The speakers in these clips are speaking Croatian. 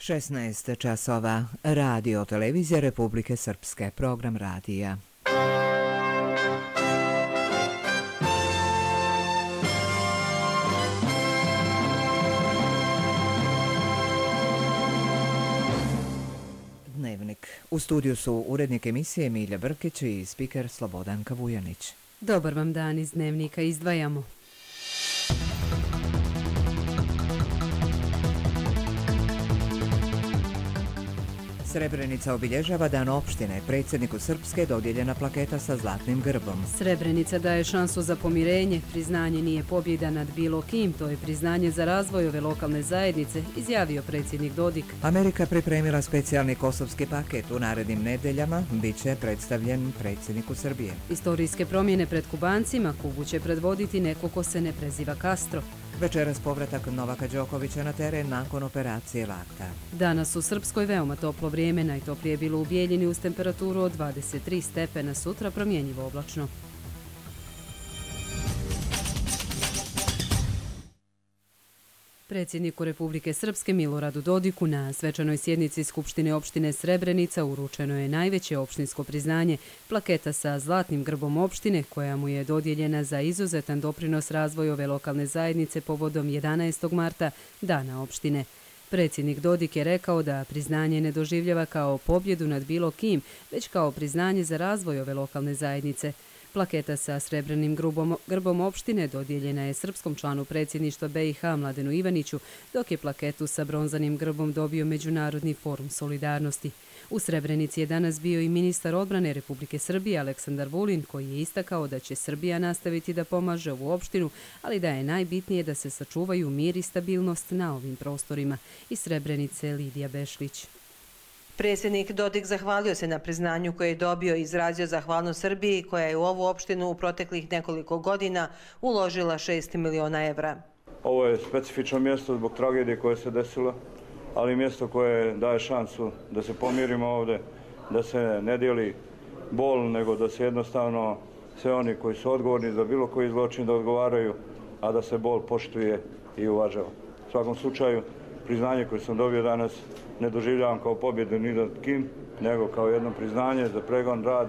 16 časova. Radio televizija Republike Srpske. Program radija. Dnevnik. U studiju su urednik emisije Milja Brkić i spiker Slobodanka Vujanić. Dobar vam dan, iz Dnevnika izdvajamo. Srebrenica obilježava dan opštine. Predsjedniku Srpske dodijeljena plaketa sa zlatnim grbom. Srebrenica daje šansu za pomirenje. Priznanje nije pobjeda nad bilo kim, to je priznanje za razvoj ove lokalne zajednice, izjavio predsjednik Dodik. Amerika pripremila specijalni kosovski paket. U narednim nedeljama bit će predstavljen predsjedniku Srbije. Istorijske promjene pred Kubancima. Kubu će predvoditi neko ko se ne preziva Castro. Večeras povratak Novaka Đokovića na teren nakon operacije lakta. Danas u Srpskoj veoma toplo vrijeme, najtoplije je bilo u Bijeljini uz temperaturu od 23 stepena, sutra promjenjivo oblačno. Predsjedniku Republike Srpske Miloradu Dodiku na svečanoj sjednici Skupštine opštine Srebrenica uručeno je najveće opštinsko priznanje, plaketa sa zlatnim grbom opštine koja mu je dodijeljena za izuzetan doprinos razvoju ove lokalne zajednice povodom 11. marta, dana opštine. Predsjednik Dodik je rekao da priznanje ne doživljava kao pobjedu nad bilo kim, već kao priznanje za razvoj ove lokalne zajednice. Plaketa sa srebrnim grbom opštine dodijeljena je srpskom članu predsjedništva BiH Mladenu Ivaniću, dok je plaketu sa bronzanim grbom dobio Međunarodni forum solidarnosti. U Srebrenici je danas bio i ministar odbrane Republike Srbije Aleksandar Vulin, koji je istakao da će Srbija nastaviti da pomaže ovu opštinu, ali da je najbitnije da se sačuvaju mir i stabilnost na ovim prostorima. Iz Srebrenice Lidija Bešlić. Predsjednik Dodik zahvalio se na priznanju koje je dobio i izrazio zahvalnost Srbiji koja je u ovu opštinu u proteklih nekoliko godina uložila 6 miliona evra. Ovo je specifično mjesto zbog tragedije koja se desila, ali mjesto koje daje šansu da se pomirimo ovdje, da se ne dijeli bol, nego da se jednostavno sve oni koji su odgovorni za bilo koji zločin da odgovaraju, a da se bol poštuje i uvažava. U svakom slučaju, priznanje koje sam dobio danas ne doživljavam kao pobjedu ni nad kim, nego kao jedno priznanje za pregon, rad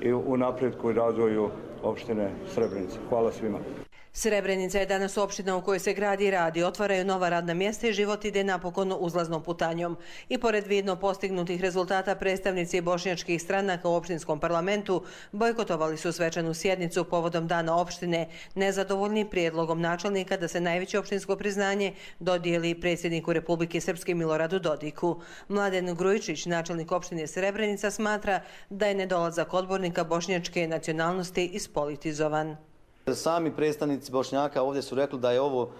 i u napretku i razvoju opštine Srebrenica. Hvala svima. Srebrenica je danas opština u kojoj se gradi i radi, otvaraju nova radna mjesta i život ide napokon uzlaznom putanjom. I pored vidno postignutih rezultata, predstavnici bošnjačkih stranaka u opštinskom parlamentu bojkotovali su svečanu sjednicu povodom dana opštine, nezadovoljni prijedlogom načelnika da se najveće opštinsko priznanje dodijeli predsjedniku Republike Srpske Miloradu Dodiku. Mladen Grujičić, načelnik opštine Srebrenica, smatra da je nedolazak odbornika bošnjačke nacionalnosti ispolitizovan. Sami predstavnici Bošnjaka ovdje su rekli da je ovo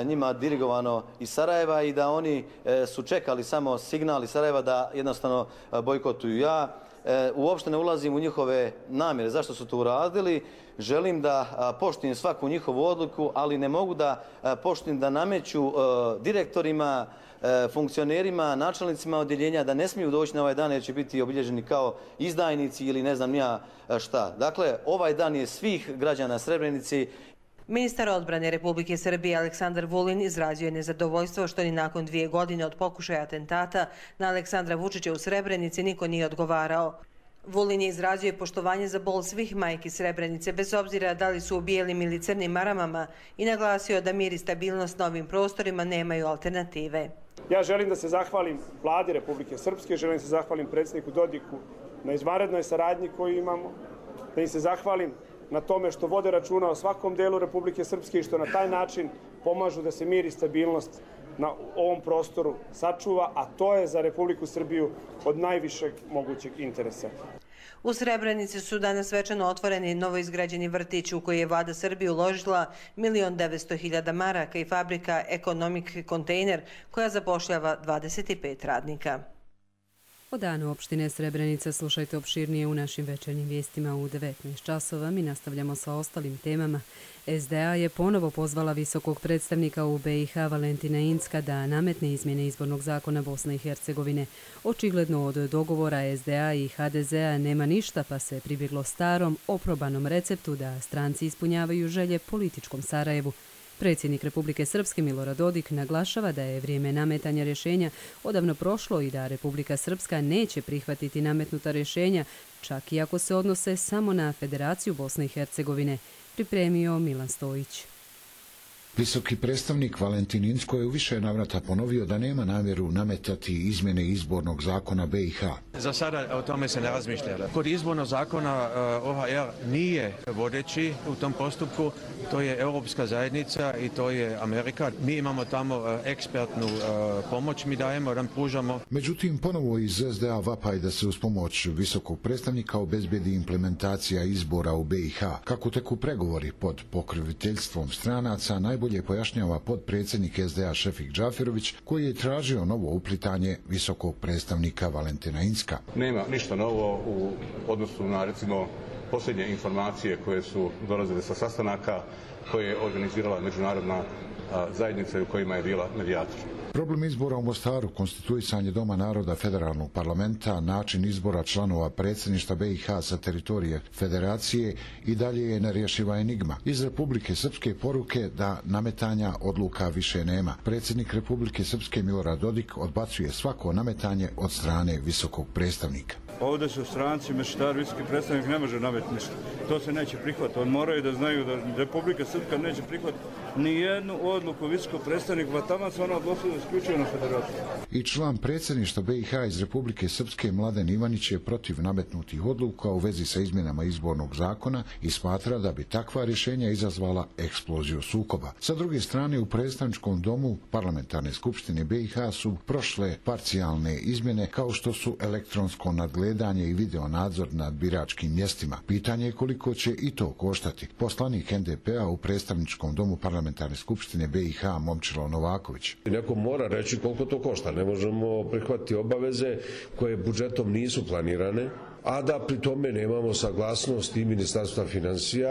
njima dirigovano iz Sarajeva i da oni su čekali samo signal iz Sarajeva da jednostavno bojkotuju. Ja uopšte ne ulazim u njihove namjere, zašto su to uradili. Želim da poštujem svaku njihovu odluku, ali ne mogu da poštujem da nameću direktorima, funkcionerima, načelnicima odjeljenja da ne smiju doći na ovaj dan jer će biti obilježeni kao izdajnici ili ne znam ja šta. Dakle, ovaj dan je svih građana Srebrenici. Ministar odbrane Republike Srbije Aleksandar Vulin izrazio je nezadovoljstvo što ni nakon 2 godine od pokušaja atentata na Aleksandra Vučića u Srebrenici niko nije odgovarao. Vulin je izrazio poštovanje za bol svih majki Srebrenice, bez obzira da li su u bijelim ili crnim maramama, i naglasio da mir i stabilnost na ovim prostorima nemaju alternative. Ja želim da se zahvalim Vladi Republike Srpske, želim da se zahvalim predsjedniku Dodiku na izvanrednoj saradnji koju imamo, da im se zahvalim na tome što vode računa o svakom delu Republike Srpske i što na taj način pomažu da se mir i stabilnost na ovom prostoru sačuva, a to je za Republiku Srbiju od najvišeg mogućeg interesa. U Srebrenici su danas svečano otvoreni novoizgrađeni vrtić u koji je Vlada Srbije uložila 1.900.000 maraka i fabrika Economic Container koja zapošljava 25 radnika. O danu opštine Srebrenica slušajte opširnije u našim večernjim vijestima u 19 časova. Mi nastavljamo sa ostalim temama. SDA je ponovo pozvala visokog predstavnika u BiH Valentina Incka da nametne izmjene izbornog zakona Bosne i Hercegovine. Očigledno od dogovora SDA i HDZ-a nema ništa, pa se pribjeglo starom, oprobanom receptu da stranci ispunjavaju želje političkom Sarajevu. Predsjednik Republike Srpske Milorad Dodik naglašava da je vrijeme nametanja rješenja odavno prošlo i da Republika Srpska neće prihvatiti nametnuta rješenja, čak i ako se odnose samo na Federaciju Bosne i Hercegovine, pripremio Milan Stojić. Visoki predstavnik Valentin Incko je u više navrata ponovio da nema namjeru nametati izmjene izbornog zakona BiH. Za sada o tome se ne razmišlja. Kod izbornog zakona OHR nije vodeći u tom postupku, to je Europska zajednica i to je Amerika. Mi imamo tamo ekspertnu pomoć, mi dajemo, da pružamo. Međutim, ponovo iz SDA vapaj da se uz pomoć visokog predstavnika obezbedi implementacija izbora u BiH. Kako teku pregovori pod pokroviteljstvom stranaca, najbolje pojašnjava potpredsjednik SDA Šefik Džaferović, koji je tražio novo uplitanje visokog predstavnika Valentina Incka. Nema ništa novo u odnosu na, recimo, posljednje informacije koje su dolazile sa sastanaka koje je organizirala međunarodna zajednica u kojima je bila medijator. Problem izbora u Mostaru, konstituisanje Doma naroda federalnog parlamenta, način izbora članova predsjedništva BiH sa teritorije federacije i dalje je nerješiva enigma. Iz Republike Srpske poruke da nametanja odluka više nema. Predsjednik Republike Srpske Milorad Dodik odbacuje svako nametanje od strane visokog predstavnika. Ovdje su stranci, mešetari, visoki predstavnik ne može nametiti ništa. To se neće prihvatiti. On moraju da znaju da Republika Srpska neće prihvatiti ni jednu odluku visokog predstavnika, pa tamo se ono odnosilo isključivo na federaciju. I član predsjedništva BiH iz Republike Srpske Mladen Ivanić je protiv nametnutih odluka u vezi sa izmjenama izbornog zakona i smatra da bi takva rješenja izazvala eksploziju sukoba. Sa druge strane, u predstavničkom domu Parlamentarne skupštine BiH su prošle parcijalne izmjene kao što su elektronsko nadgledanje i video nadzor nad biračkim mjestima. Pitanje je koliko će i to koštati. Poslanik NDP-a u predstavničkom domu Parlamentarne skupštine BiH Momčilo Novaković. Neko mora reći koliko to košta. Ne možemo prihvatiti obaveze koje budžetom nisu planirane, a da pri tome nemamo saglasnost i Ministarstva financija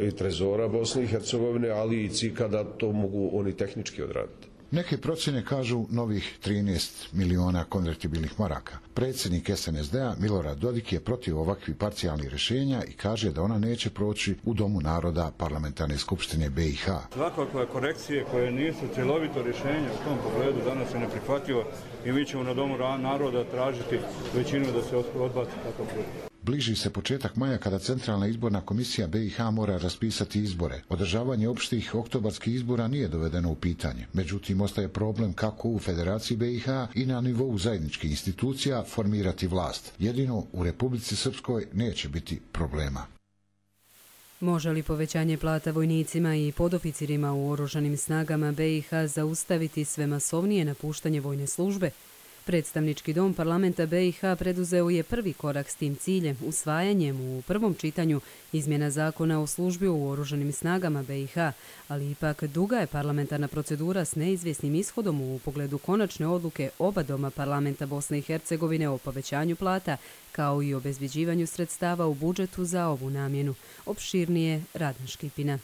i Trezora Bosne i Hercegovine, ali i CIK-a da to mogu oni tehnički odraditi. Neke procjene kažu novih 13 miliona konvertibilnih maraka. Predsjednik SNSD-a Milorad Dodik je protiv ovakvih parcijalnih rješenja i kaže da ona neće proći u Domu naroda Parlamentarne skupštine BiH. Svakakve korekcije koje nisu cjelovito rješenje u tom pogledu danas je neprihvatljivo i mi ćemo na Domu naroda tražiti većinu da se odbaci takav projekt. Bliži se početak maja kada Centralna izborna komisija BiH mora raspisati izbore. Održavanje opštih oktobarskih izbora nije dovedeno u pitanje. Međutim, ostaje problem kako u Federaciji BiH i na nivou zajedničkih institucija formirati vlast. Jedino u Republici Srpskoj neće biti problema. Može li povećanje plata vojnicima i podoficirima u oružanim snagama BiH zaustaviti sve masovnije napuštanje vojne službe? Predstavnički dom parlamenta BiH preduzeo je prvi korak s tim ciljem, usvajanjem u prvom čitanju izmjena zakona o službi u oružanim snagama BiH, ali ipak duga je parlamentarna procedura s neizvjesnim ishodom u pogledu konačne odluke oba doma parlamenta Bosne i Hercegovine o povećanju plata, kao i obezbeđivanju sredstava u budžetu za ovu namjenu. Opširnije Radan Škipina.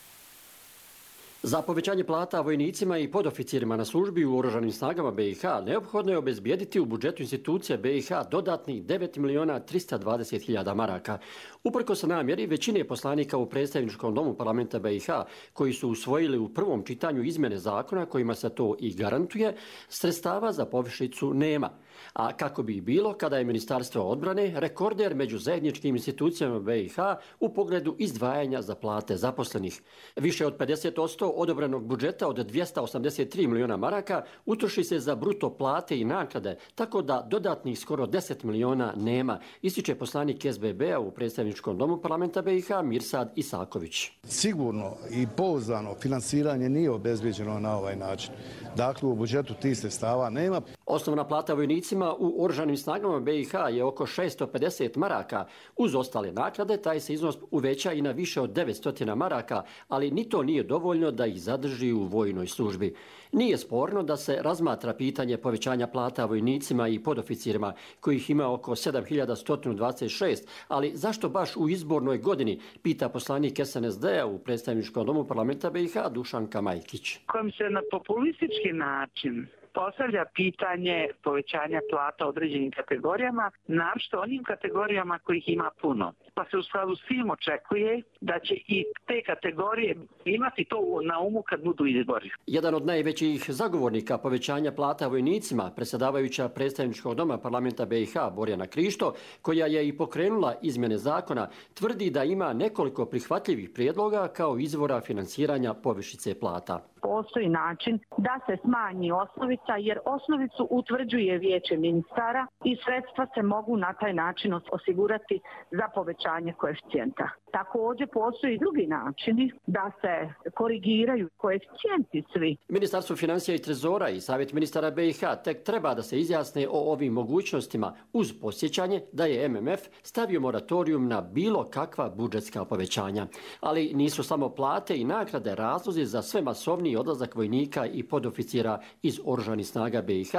Za povećanje plata vojnicima i podoficirima na službi u oružanim snagama BiH neophodno je obezbijediti u budžetu institucija BiH dodatnih 9.320.000 maraka. Uprkos namjeri većine poslanika u predstavničkom domu parlamenta BiH koji su usvojili u prvom čitanju izmjene zakona kojima se to i garantuje, sredstava za povišicu nema. A kako bi bilo kada je Ministarstvo odbrane rekorder među zajedničkim institucijama BiH u pogledu izdvajanja za plate zaposlenih. Više od 50% odobrenog budžeta od 283 miliona maraka utroši se za bruto plate i naknade, tako da dodatnih skoro 10 miliona nema, ističe poslanik SBB-a u predstavničkom domu parlamenta BiH Mirsad Isaković. Sigurno i pouzdano finansiranje nije obezbeđeno na ovaj način. Dakle, u budžetu tih sredstava nema. Osnovna plata vojnicima u oružanim snagama BiH je oko 650 maraka. Uz ostale naknade taj se iznos uveća i na više od 900 maraka, ali ni to nije dovoljno da ih zadrži u vojnoj službi. Nije sporno da se razmatra pitanje povećanja plata vojnicima i podoficirima, kojih ima oko 7.126, ali zašto baš u izbornoj godini, pita poslanik SNSD-a u predstavničkom domu parlamenta BiH Dušan Kamajkić. Kojim se na populistički način postavlja pitanje povećanja plata određenim kategorijama, naročito onim kategorijama kojih ima puno. pa se u skladu s tim očekuje da će i te kategorije imati to na umu kad budu izbori. Jedan od najvećih zagovornika povećanja plata vojnicima, predsjedavajuća predstavničkog doma parlamenta BiH Borjana Krišto, koja je i pokrenula izmjene zakona, tvrdi da ima nekoliko prihvatljivih prijedloga kao izvora finansiranja povišice plata. Postoji način da se smanji osnovica, jer osnovicu utvrđuje vijeće ministara i sredstva se mogu na taj način osigurati za povećanje koeficijenta. Također postoji drugi načini da se korigiraju koeficijenti svi. Ministarstvo financija i trezora i Savjet ministara BiH tek treba da se izjasne o ovim mogućnostima uz podsjećanje da je MMF stavio moratorium na bilo kakva budžetska povećanja. Ali nisu samo plate i nagrade razlozi za sve masovniji odlazak vojnika i podoficira iz Oružanih snaga BiH.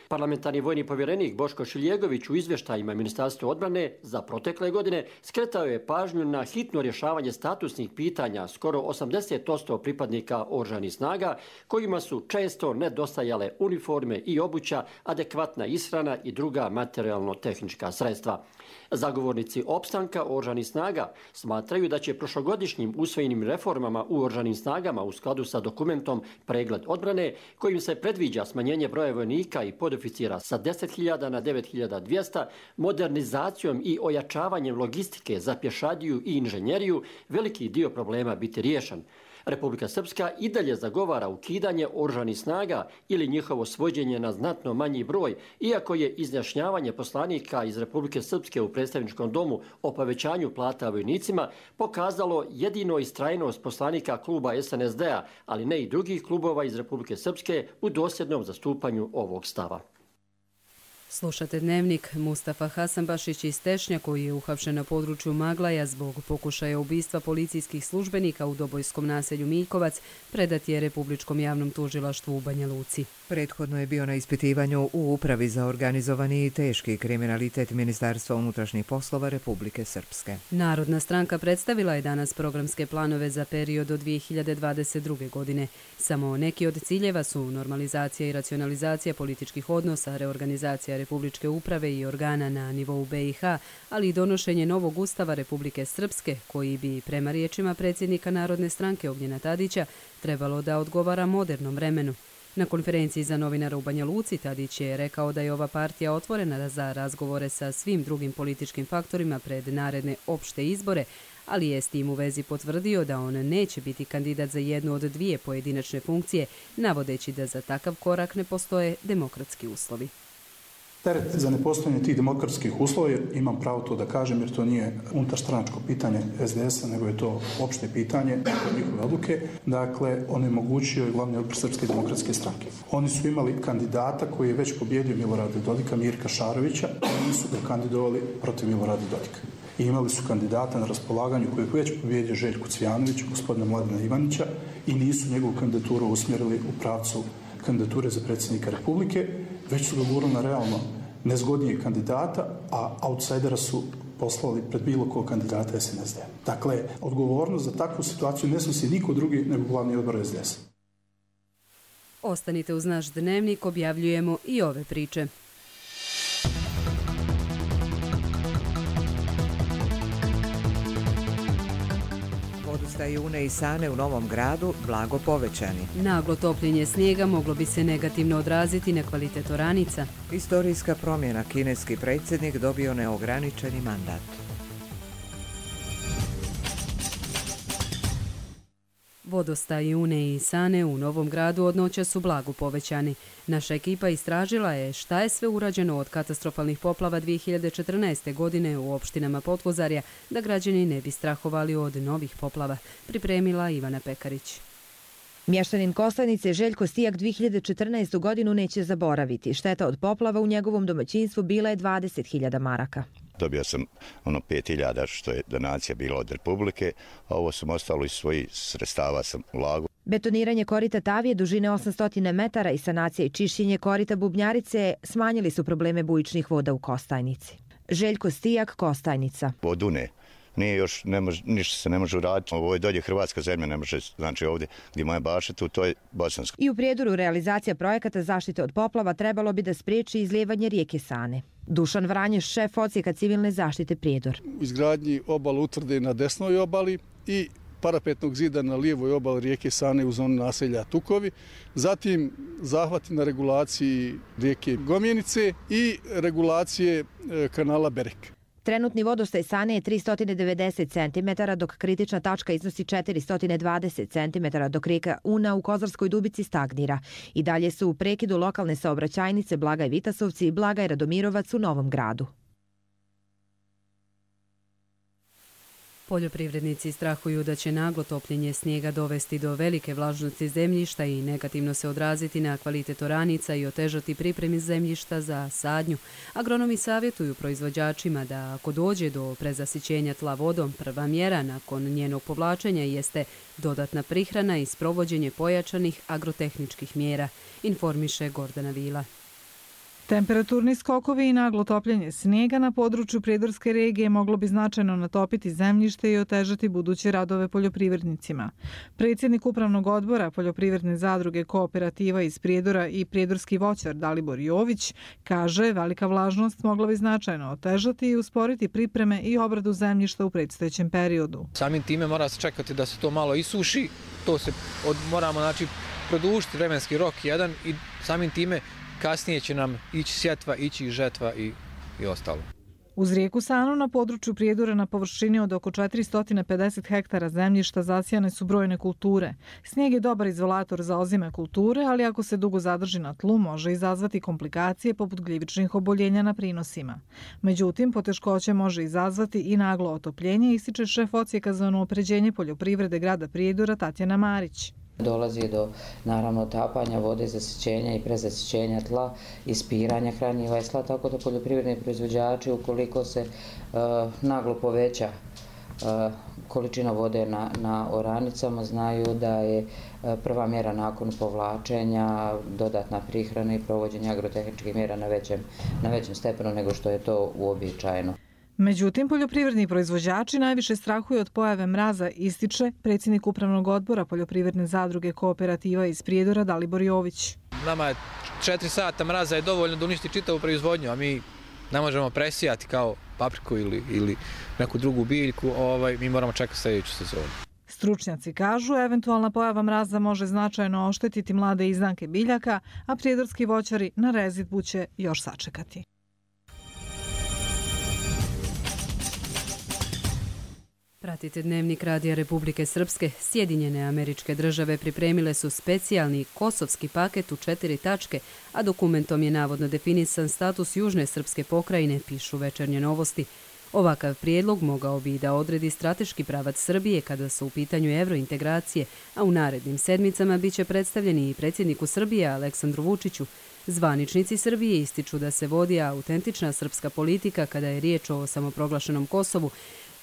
Parlamentarni vojni povjerenik Boško Šiljegović u izvještajima Ministarstva odbrane za protekle godine skretao je pažnju na hitno rješavanje statusnih pitanja skoro 80% pripadnika Oružanih snaga, kojima su često nedostajale uniforme i obuća, adekvatna ishrana i druga materijalno-tehnička sredstva. Zagovornici opstanka Oružanih snaga smatraju da će prošlogodišnjim usvojenim reformama u Oružanim snagama u skladu sa dokumentom Pregled odbrane, kojim se predviđa smanjenje broja vojnika i podoficira sa 10.000 na 9.200, modernizacijom i ojačavanjem logistike za pješadiju i inženjeriju, veliki dio problema biti riješen. Republika Srpska i dalje zagovara ukidanje Oružanih snaga ili njihovo svođenje na znatno manji broj, iako je izjašnjavanje poslanika iz Republike Srpske u predstavničkom domu o povećanju plata vojnicima pokazalo jedino istrajnost poslanika kluba SNSD-a, ali ne i drugih klubova iz Republike Srpske u dosljednom zastupanju ovog stava. Slušate Dnevnik. Mustafa Hasanbašić iz Tešnja, koji je uhapšen na području Maglaja zbog pokušaja ubistva policijskih službenika u Dobojskom naselju Miljkovac, predat je Republičkom javnom tužilaštvu u Banja Luci. Prethodno je bio na ispitivanju u Upravi za organizovani i teški kriminalitet Ministarstva unutrašnjih poslova Republike Srpske. Narodna stranka predstavila je danas programske planove za period do 2022. godine. Samo neki od ciljeva su normalizacija i racionalizacija političkih odnosa, reorganizacija Republičke uprave i organa na nivou BiH, ali i donošenje novog ustava Republike Srpske, koji bi, prema riječima predsjednika Narodne stranke Ognjena Tadića, trebalo da odgovara modernom vremenu. Na konferenciji za novinara u Banja Luci Tadić je rekao da je ova partija otvorena za razgovore sa svim drugim političkim faktorima pred naredne opšte izbore, ali je s tim u vezi potvrdio da on neće biti kandidat za jednu od dvije pojedinačne funkcije, navodeći da za takav korak ne postoje demokratski uslovi. Teret za nepostojanje tih demokratskih uslova, imam pravo to da kažem jer to nije unutarstranačko pitanje SDS-a, nego je to opšte pitanje njihove odluke. Dakle, onemogućio je glavni odbor Srpske demokratske stranke. Oni su imali kandidata koji je već pobjedio Milorada Dodika, Mirka Šarovića, i nisu ga kandidovali protiv Milorada Dodika. I imali su kandidata na raspolaganju koji je već pobjedio Željko Cvijanović, gospodina Mladena Ivanića, i nisu njegovu kandidaturu usmjerili u pravcu kandidature za predsjednika Republike, već su ga gurali na realno nezgodnijeg kandidata, a outsidera su poslali pred bilo kog kandidata SNSD. Dakle, odgovornost za takvu situaciju ne snosi niko drugi nego glavni odbor SDS. Ostanite uz naš Dnevnik, objavljujemo i ove priče. Vodostaji Une i Sane u Novom Gradu blago povećani. Naglo topljenje snijega moglo bi se negativno odraziti na kvalitet oranica. Istorijska promjena, kineski predsjednik dobio neograničeni mandat. Vodostaji Une i Sane u Novom Gradu od noća su blago povećani. Naša ekipa istražila je šta je sve urađeno od katastrofalnih poplava 2014. godine u opštinama Potvozarja, da građani ne bi strahovali od novih poplava, pripremila Ivana Pekarić. Mještanin Kostajnice Željko Stijak 2014. godinu neće zaboraviti. Šteta od poplava u njegovom domaćinstvu bila je 20.000 maraka. Dobio sam 5.000 što je donacija bila od Republike, a ovo sam ostalo iz svojih sredstava sam ulagao. Betoniranje korita Tavije dužine 800 metara i sanacija i čišćenje korita Bubnjarice smanjili su probleme bujičnih voda u Kostajnici. Željko Stijak, Kostajnica. Od Une nije još, ništa se ne može uraditi. Ovo je dolje hrvatska zemlja, ne može, znači ovdje gdje moje bašetu, to je bosansko. I u Prijedoru realizacija projekata zaštite od poplava trebalo bi da spriječi izlijevanje rijeke Sane. Dušan Vranješ, šef odsjeka civilne zaštite Prijedor. U izgradnji obale utvrde na desnoj obali i parapetnog zida na lijevoj obali rijeke Sane u zoni naselja Tukovi, zatim zahvati na regulaciji rijeke Gomjenice i regulacije kanala Berek. Trenutni vodostaj Sane je 390 cm, dok kritična tačka iznosi 420 cm, dok rijeka Una u Kozarskoj Dubici stagnira. I dalje su u prekidu lokalne saobraćajnice Blagaj Vitasovci i Blagaj Radomirovac u Novom Gradu. Poljoprivrednici strahuju da će naglo topljenje snijega dovesti do velike vlažnosti zemljišta i negativno se odraziti na kvalitet oranica i otežati pripremi zemljišta za sadnju. Agronomi savjetuju proizvođačima da ako dođe do prezasićenja tla vodom, prva mjera nakon njenog povlačenja jeste dodatna prihrana i sprovođenje pojačanih agrotehničkih mjera, informiše Gordana Vila. Temperaturni skokovi i naglo topljenje snijega na području Prijedorske regije moglo bi značajno natopiti zemljište i otežati buduće radove poljoprivrednicima. Predsjednik Upravnog odbora Poljoprivredne zadruge Kooperativa iz Prijedora i prijedorski voćar Dalibor Jović kaže velika vlažnost mogla bi značajno otežati i usporiti pripreme i obradu zemljišta u predstojećem periodu. Samim time mora se čekati da se to malo isuši, to se moramo produžiti vremenski rok jedan i samim time kasnije će nam ići sjetva, ići žetva i ostalo. Uz rijeku Sanu na području Prijedora na površini od oko 450 hektara zemljišta zasijane su brojne kulture. Snijeg je dobar izolator za ozime kulture, ali ako se dugo zadrži na tlu može izazvati komplikacije poput gljivičnih oboljenja na prinosima. Međutim, poteškoće može izazvati i naglo otopljenje, ističe šef odsjeka za unapređenje poljoprivrede grada Prijedora Tatjana Marić. Dolazi do naravno otapanja vode, zasićenja i prezasićenja tla, ispiranja hranjiva i tla, tako da poljoprivredni proizvođači ukoliko se naglo poveća količina vode na oranicama znaju da je prva mjera nakon povlačenja dodatna prihrana i provođenje agrotehničkih mjera na većem stepenu nego što je to uobičajeno. Međutim, poljoprivredni proizvođači najviše strahuju od pojave mraza, ističe predsjednik Upravnog odbora Poljoprivredne zadruge Kooperativa iz Prijedora Dalibor Jović. Nama je 4 sata mraza je dovoljno da uništi čitavu proizvodnju, a mi ne možemo presijati kao papriku ili neku drugu biljku, mi moramo čekati sljedeću sezonu. Stručnjaci kažu, eventualna pojava mraza može značajno oštetiti mlade izdanke biljaka, a prijedorski voćari na rezidbu će još sačekati. Pratite Dnevnik Radija Republike Srpske. Sjedinjene Američke Države pripremile su specijalni kosovski paket u 4 tačke, a dokumentom je navodno definisan status južne srpske pokrajine, pišu Večernje novosti. Ovakav prijedlog mogao bi da odredi strateški pravac Srbije kada su u pitanju evrointegracije, a u narednim sedmicama biće predstavljeni i predsjedniku Srbije Aleksandru Vučiću. Zvaničnici Srbije ističu da se vodi autentična srpska politika kada je riječ o samoproglašenom Kosovu,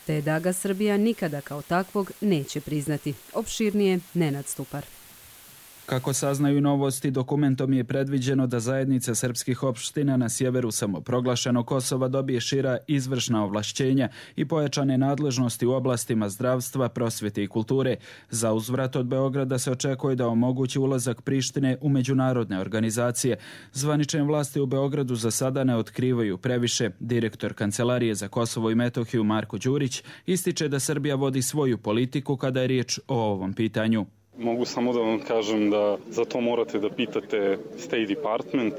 te da ga Srbija nikada kao takvog neće priznati. Opširnije Nenad Stupar. Kako saznaju novosti, dokumentom je predviđeno da zajednica srpskih opština na sjeveru samoproglašenog Kosova dobije šira izvršna ovlašćenja i pojačane nadležnosti u oblastima zdravstva, prosvjete i kulture. Za uzvrat od Beograda se očekuje da omogući ulazak Prištine u međunarodne organizacije. Zvanične vlasti u Beogradu za sada ne otkrivaju previše. Direktor Kancelarije za Kosovo i Metohiju Marko Đurić ističe da Srbija vodi svoju politiku kada je riječ o ovom pitanju. Mogu samo da vam kažem da za to morate da pitate State Department.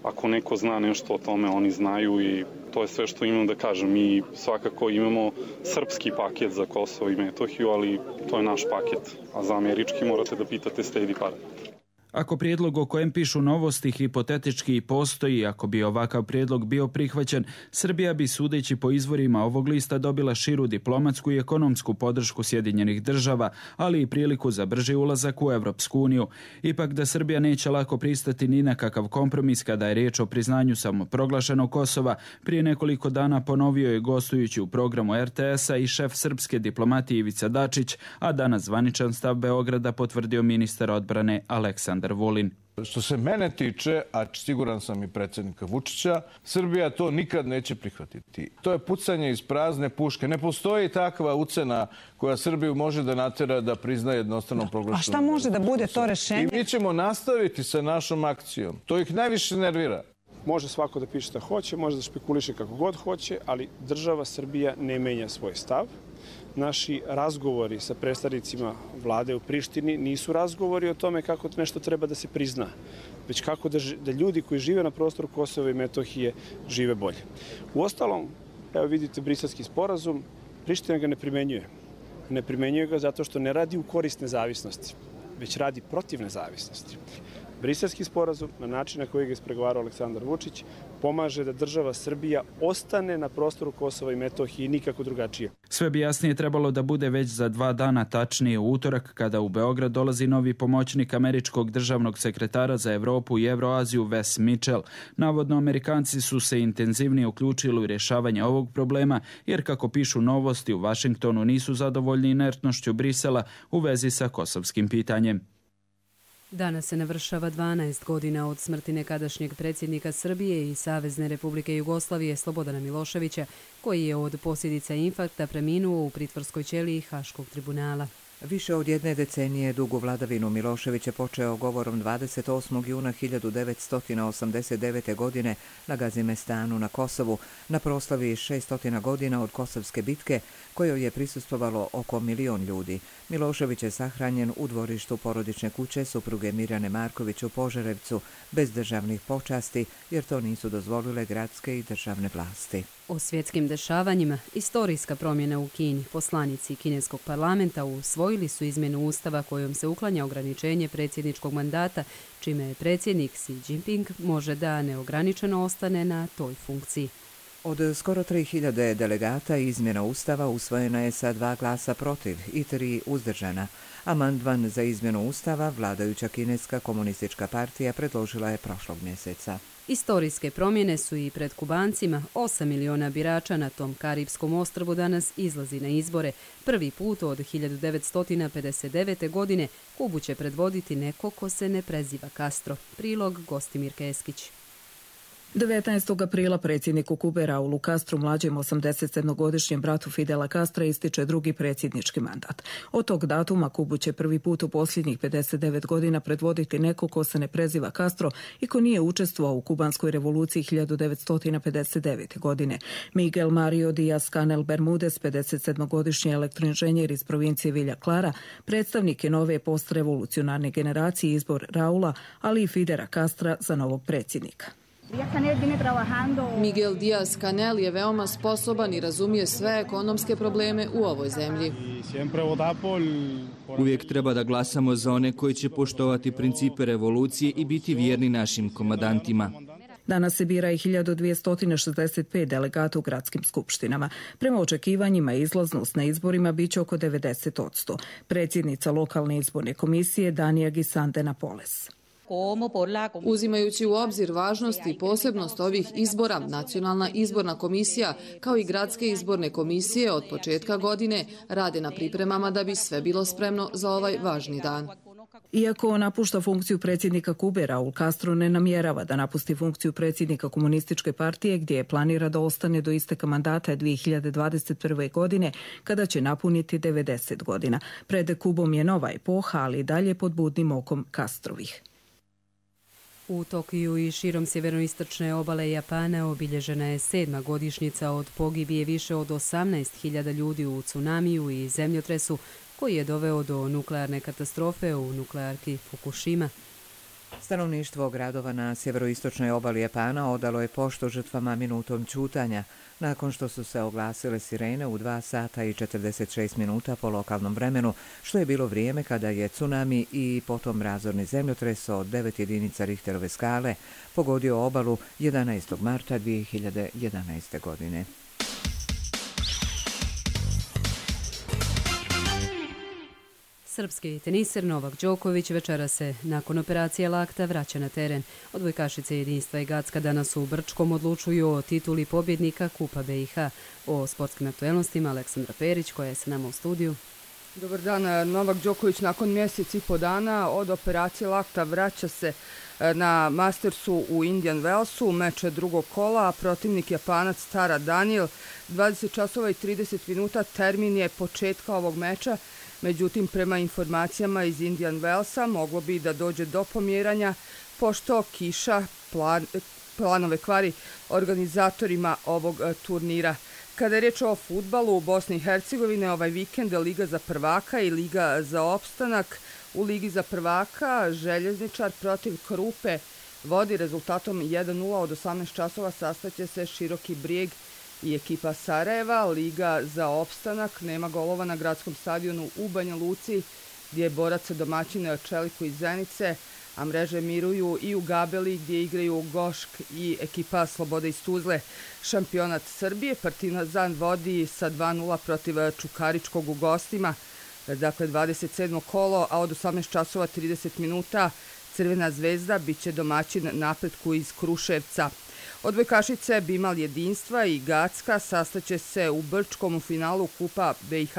Ako neko zna nešto o tome, oni znaju i to je sve što imam da kažem. Mi svakako imamo srpski paket za Kosovo i Metohiju, ali to je naš paket. A za američki morate da pitate State Department. Ako prijedlog o kojem pišu novosti hipotetički postoji, ako bi ovakav prijedlog bio prihvaćen, Srbija bi, sudeći po izvorima ovog lista, dobila širu diplomatsku i ekonomsku podršku Sjedinjenih Država, ali i priliku za brži ulazak u Evropsku uniju. Ipak da Srbija neće lako pristati ni na kakav kompromis kada je riječ o priznanju samoproglašenog Kosova, prije nekoliko dana ponovio je gostujući u programu RTS-a i šef srpske diplomatije Ivica Dačić, a danas zvaničan stav Beograda potvrdio ministar odbrane Aleksandar Vulin. Što se mene tiče, a siguran sam i predsjednika Vučića, Srbija to nikad neće prihvatiti. To je pucanje iz prazne puške. Ne postoji takva ucena koja Srbiju može da natera da prizna jednostrano proglašenu. A šta može da bude to rešenje? I mi ćemo nastaviti sa našom akcijom. To ih najviše nervira. Može svako da piše šta hoće, može da špekuliše kako god hoće, ali država Srbija ne menja svoj stav. Naši razgovori sa predstavnicima vlade u Prištini nisu razgovori o tome kako nešto treba da se prizna, već kako da ljudi koji žive na prostoru Kosova i Metohije žive bolje. Uostalom, evo vidite Briselski sporazum, Priština ga ne primenjuje. Ne primenjuje ga zato što ne radi u korist nezavisnosti, već radi protiv nezavisnosti. Briselski sporazum, na način na koji ga ispregovarao Aleksandar Vučić, pomaže da država Srbija ostane na prostoru Kosova i Metohije i nikako drugačije. Sve bi jasnije trebalo da bude već za 2 dana, tačnije u utorak, kada u Beograd dolazi novi pomoćnik američkog državnog sekretara za Evropu i Evroaziju Wes Mitchell. Navodno, Amerikanci su se intenzivnije uključili u rješavanje ovog problema, jer kako pišu Novosti, u Vašingtonu nisu zadovoljni inertnošću Brisela u vezi sa kosovskim pitanjem. Danas se navršava 12 godina od smrti nekadašnjeg predsjednika Srbije i Savezne Republike Jugoslavije Slobodana Miloševića, koji je od posljedica infarkta preminuo u pritvorskoj ćeliji Haškog tribunala. Više od 1 decenije dugu vladavinu Milošević je počeo govorom 28. juna 1989. godine na Gazimestanu na Kosovu, na proslavi 600 godina od Kosovske bitke, kojoj je prisustvovalo oko 1 milion ljudi. Milošević je sahranjen u dvorištu porodične kuće supruge Mirjane Marković u Požarevcu, bez državnih počasti, jer to nisu dozvolile gradske i državne vlasti. O svjetskim dešavanjima, istorijska promjena u Kini. Poslanici kineskog parlamenta usvojili su izmjenu ustava kojom se uklanja ograničenje predsjedničkog mandata, čime je predsjednik Xi Jinping može da neograničeno ostane na toj funkciji. Od skoro 3000 delegata izmjena ustava usvojena je sa 2 glasa protiv i 3 uzdržana. Amandman za izmjenu ustava vladajuća kineska komunistička partija predložila je prošlog mjeseca. Istorijske promjene su i pred Kubancima. 8 miliona birača na tom Karibskom ostrvu danas izlazi na izbore. Prvi put od 1959. godine Kubu će predvoditi neko ko se ne preziva Castro. Prilog Gostimir Keskić. 19. aprila predsjedniku Kube Raulu Castru, mlađem 87-godišnjem bratu Fidela Castra, ističe drugi predsjednički mandat. Od tog datuma Kubu će prvi put u posljednjih 59 godina predvoditi neko ko se ne preziva Castro i ko nije učestvovao u kubanskoj revoluciji 1959. godine. Miguel Mario Díaz-Canel Bermudez, 57-godišnji elektroinženjer iz provincije Villa Clara, predstavnik je nove postrevolucionarne generacije, izbor Raula, ali i Fidela Castra za novog predsjednika. Miguel Díaz-Canel je veoma sposoban i razumije sve ekonomske probleme u ovoj zemlji. Uvijek treba da glasamo za one koji će poštovati principe revolucije i biti vjerni našim komandantima. Danas se bira i 1265 delegata u gradskim skupštinama. Prema očekivanjima izlaznost na izborima biće oko 90%. Predsjednica lokalne izborne komisije Danija Gisande Napoles. Uzimajući u obzir važnost i posebnost ovih izbora, Nacionalna izborna komisija kao i gradske izborne komisije od početka godine rade na pripremama da bi sve bilo spremno za ovaj važni dan. Iako napušta funkciju predsjednika Kube, Raul Castro ne namjerava da napusti funkciju predsjednika komunističke partije, gdje je planira da ostane do isteka mandata 2021. godine, kada će napuniti 90 godina. Pred Kubom je nova epoha, ali i dalje pod budnim okom Castrovih. U Tokiju i širom sjeveroistočne obale Japana obilježena je 7. godišnjica od pogibije više od 18.000 ljudi u tsunamiju i zemljotresu koji je doveo do nuklearne katastrofe u nuklearki Fukushima. Stanovništvo gradova na sjeveroistočnoj obali Japana odalo je poštu žrtvama minutom ćutanja, nakon što su se oglasile sirene u 2 sata i 46 minuta po lokalnom vremenu, što je bilo vrijeme kada je tsunami i potom razorni zemljotres od 9 jedinica Richterove skale pogodio obalu 11. marta 2011. godine. Srpski teniser Novak Đoković večera se nakon operacije lakta vraća na teren. Odbojkašice Jedinstva i Gacka danas u Brčkom odlučuju o tituli pobjednika Kupa BiH. O sportskim aktuelnostima Aleksandra Perić koja je sa nama u studiju. Dobar dan. Novak Đoković nakon mjesec i po dana od operacije lakta vraća se na Mastersu u Indian Wellsu, meč drugog kola, a protivnik Japanac Tara Daniel. 20 časova i 30 minuta termin je početka ovog meča, međutim prema informacijama iz Indian Wellsa moglo bi da dođe do pomjeranja pošto kiša planove kvari organizatorima ovog turnira. Kada je riječ o fudbalu u Bosni i Hercegovine, ovaj vikend Liga za prvaka i Liga za opstanak. U Ligi za prvaka Željezničar protiv Krupe vodi rezultatom 1:0. Od 18 časova sastaće se Široki Brijeg i ekipa Sarajeva. Liga za opstanak nema golova na gradskom stadionu u Banja Luci, gdje je borac domaćin Čeliku iz Zenice, a mreže miruju i u Gabeli gdje igraju Gošk i ekipa Slobode iz Tuzle. Šampionat Srbije Partizan vodi sa 2:0 protiv Čukaričkog u gostima. Dakle, 27. kolo, a od 18 časova 30 minuta Crvena zvezda bit će domaćin Napretku iz Kruševca. Odbojkašice Bimal Jedinstva i Gacka sastaće se u Brčkom u finalu Kupa BiH.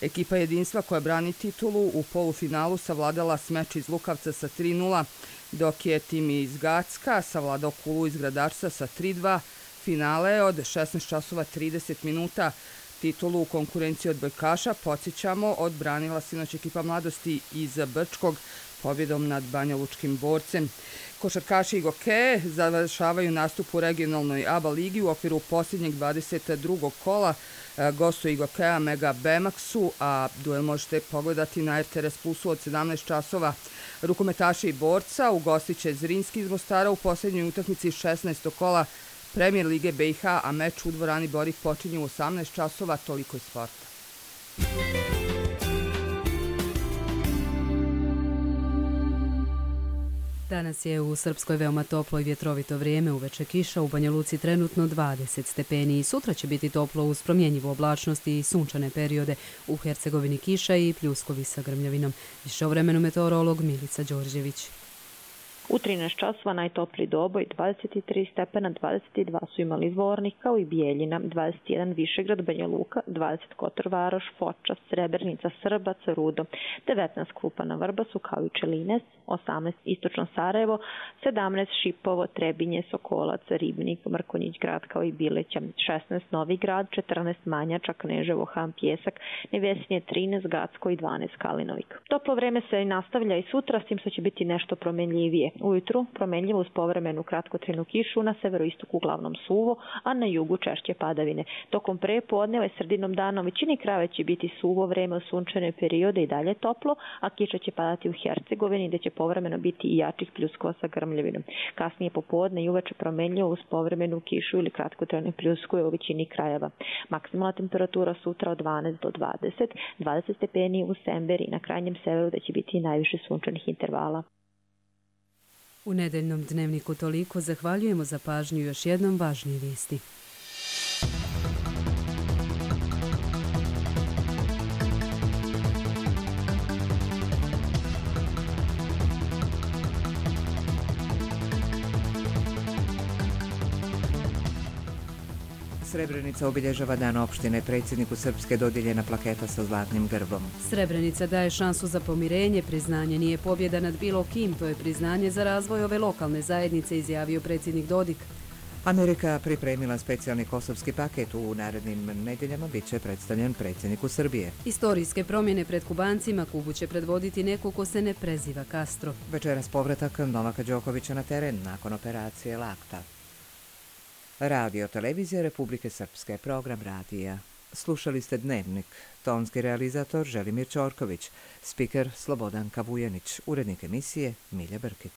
Ekipa Jedinstva koja brani titulu u polufinalu savladala Smeč iz Lukavca sa 3:0, dok je tim iz Gacka savladao Kulu iz Gradačca sa 3:2. Finale od 16 časova 30 minuta. Titulu u konkurenciji odbojkaša, podsjećamo, odbranila sinoć ekipa Mladosti iz Brčkog pobjedom nad Banjalučkim borcem. Košarkaši Igoke završavaju nastup u regionalnoj ABA ligi u okviru posljednjeg 22. kola. Gostuje Igokea Mega Bemaxu, a duel možete pogledati na RTS Plusu od 17 časova. Rukometaši Borca ugostit će Zrinski iz Mostara u posljednjoj utakmici 16. kola Premijer Lige BiH, a meč u dvorani Borih počinje u 18 časova. Toliko iz sporta. Danas je u Srpskoj veoma toplo i vjetrovito vrijeme, uveče kiša, u Banja Luci trenutno 20 stepeni. Sutra će biti toplo uz promjenjivu oblačnost i sunčane periode, u Hercegovini kiša i pljuskovi sa grmljavinom. Više o vremenu meteorolog Milica Đorđević. U 13 časova najtopliji Doboj 23 stepena, 22 su imali Zvornik kao i Bijeljina, 21 Višegrad, Banja Luka, 20 Kotor Varoš, Foča, Srebrenica, Srbac, Rudo, 19 Krupana, Vrbasu kao i Čelines, 18 Istočno Sarajevo, 17 Šipovo, Trebinje, Sokolac, Ribnik, Mrkonjić grad kao i Bileća, 16 Novi grad, 14 Manjača, Kneževo, Han, Pjesak, Nevesinje 13, Gacko i 12 Kalinovik. Toplo vreme se nastavlja i sutra, s tim što će biti nešto promenljivije. Ujutru promenljivo uz povremenu kratkotrajnu kišu, na severoistoku uglavnom suvo, a na jugu češće padavine. Tokom prepodneva i sredinom dana u većini krajeva će biti suvo vreme u sunčane periode i dalje toplo, a kiša će padati u Hercegovini gdje će povremeno biti i jačih pljuskova sa grmljavinom. Kasnije popodne i uveče promenljivo uz povremenu kišu ili kratkotrajne pljuskove u većini krajeva. Maksimalna temperatura sutra od 12 do 20, 20 stepeni u Semberi i na krajnjem severu gdje će biti najviše sunčanih intervala. U nedeljnom dnevniku toliko, zahvaljujemo za pažnju, još jednom važnije vijesti. Srebrenica obilježava dan opštine. Predsjedniku Srpske dodijeljena plaketa sa zlatnim grbom. Srebrenica daje šansu za pomirenje. Priznanje nije pobjeda nad bilo kim. To je priznanje za razvoj ove lokalne zajednice, izjavio predsjednik Dodik. Amerika pripremila specijalni kosovski paket. U narednim nedjeljama bit će predstavljen predsjedniku Srbije. Istorijske promjene pred Kubancima. Kubu će predvoditi neko ko se ne preziva Castro. Večeras povratak Novaka Đokovića na teren nakon operacije lakta. Radio Televizija Republike Srpske, program radija. Slušali ste Dnevnik. Tonski realizator Želimir Ćorković, spiker Slobodan Kavujanić, urednik emisije Milja Brkić.